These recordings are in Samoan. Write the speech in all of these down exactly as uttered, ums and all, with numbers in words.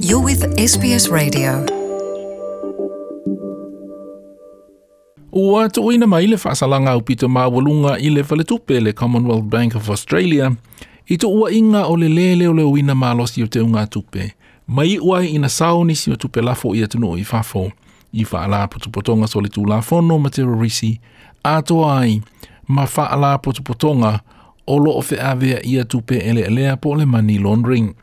You're with S B S Radio. Ua tuuina mai le faasalaga aupito maualuga i le faletupe le Commonwealth Bank of Australia i tuuaiga o le lē leoleoina malosi o teugatupe ma iu ai ina sao nisi o tupe lafo i atunuu i fafo i faalapotopotoga solitulafono ma terorisi atoa ai ma faalapotopotoga o loo feaveaia tupe eleelea po o le money laundering.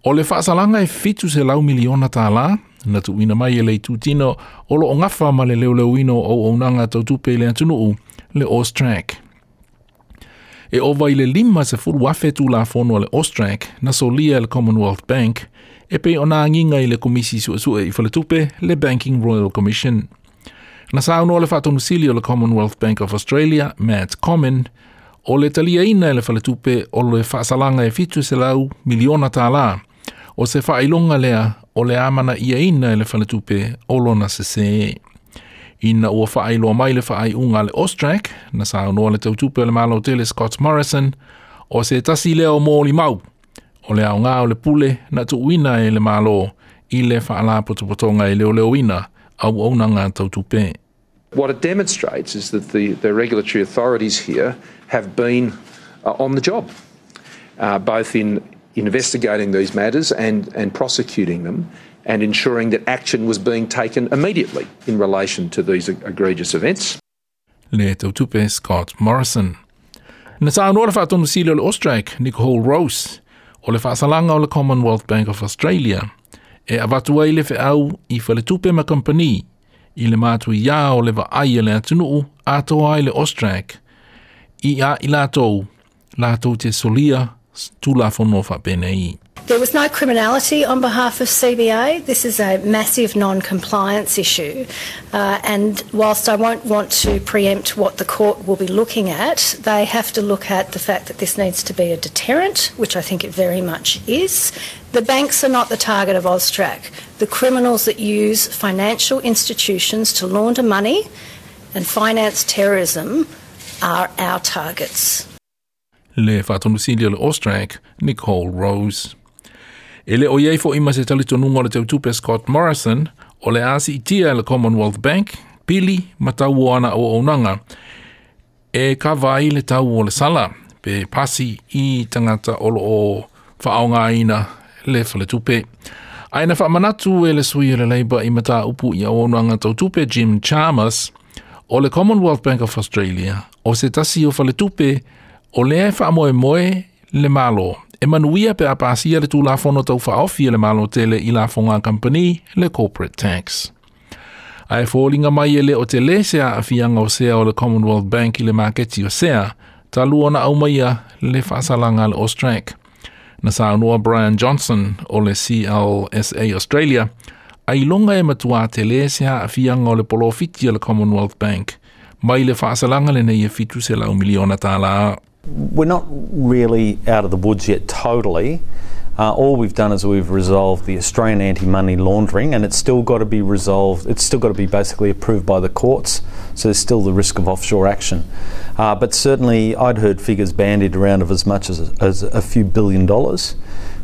O le faasalaga e fitu selau miliona tālā na tuuina mai e le itutino o loo gafa ma le leoleoina o auaunaga tau tupe i le atunuu le AUSTRAC. E ova i le lima sefulu afe tulafono a le AUSTRAC na solia e le Commonwealth Bank e pei ona agiga i le Komisi Suesue i Faletupe le Banking Royal Commission. Na saunoa le faatonusili o le Commonwealth Bank of Australia, Matt Comyn, o le taliaina e le faletupe o le faasalaga e fitu selau miliona tālā. O se faailoga lea o le amanaiaina e le faletupe o lona sesē. Ina ua faailoa mai le faaiuga a le AUSTRAC, na saunoa le tautupe o le Malo tele Scott Morrison, o se tasi lea o molimau o le aoga o le pule na tuuina e le Malo i le faalapotopotoga e leoleoina auaunaga tau tupe. What it demonstrates is that the, the regulatory authorities here have been uh, on the job, uh, both in investigating these matters and, and prosecuting them and ensuring that action was being taken immediately in relation to these egregious events. Le tautupe Scott Morrison. Na saunoa le faatonusili o le AUSTRAC, Nicole Rose, o le faasalaga o le Commonwealth Bank of Australia, e avatu ai le feau i faletupe ma kampani i le matuiā o le vaai a le atunuu atoa ai le AUSTRAC i a i latou latou te solia tulafono faapenei. There was no criminality on behalf of C B A. This is a massive non compliance issue. Uh, and whilst I won't want to preempt what the court will be looking at, they have to look at the fact that this needs to be a deterrent, which I think it very much is. The banks are not the target of AUSTRAC. The criminals that use financial institutions to launder money and finance terrorism are our targets. Le faatonusili o le AUSTRAC, Nicole Rose. E le o iai fo'i ma se talitonuga o le tautupe Scott Morrison o le a siitia e le Commonwealth Bank pili ma tau o ana auaunaga e kava ai le tau o le sala pe pasi i tagata o loo faaaogaina le faletupe. Ae na faamanatu e le sui o le Labour i mataupu i auaunaga tau tupe Jim Chalmers o le Commonwealth Bank of Australia o se tasi o faletupe o lea e faamoemoe le Malo e manuia pe a pasia le tulafono tau faaofi e le Malo tele i lafoga a kampani le corporate tax. Ae foliga mai e le o telē se aafiaga o sea o le Commonwealth Bank i le maketi o sea, talu ona aumaia le faasalaga a le AUSTRAC. Na saunoa Brian Johnson o le C L S A Australia, ailoga e matuā telē se aafiaga o le polofiti o le Commonwealth Bank, mai le faasalaga lenei e fitu selau miliona tālā. We're not really out of the woods yet totally. Uh, all we've done is we've resolved the Australian anti-money laundering, and it's still got to be resolved. It's still got to be basically approved by the courts. So there's still the risk of offshore action. Uh, but certainly, I'd heard figures bandied around of as much as, as a few billion dollars.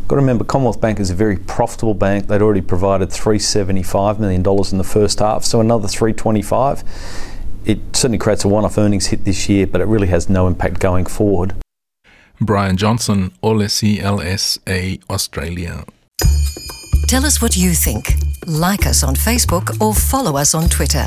Got to remember, Commonwealth Bank is a very profitable bank. They'd already provided three hundred seventy-five million dollars in the first half, so another three hundred twenty-five. It certainly creates a one-off earnings hit this year, but it really has no impact going forward. Brian Johnson o le C L S A Australia. Tell us what you think. Like us on Facebook or follow us on Twitter.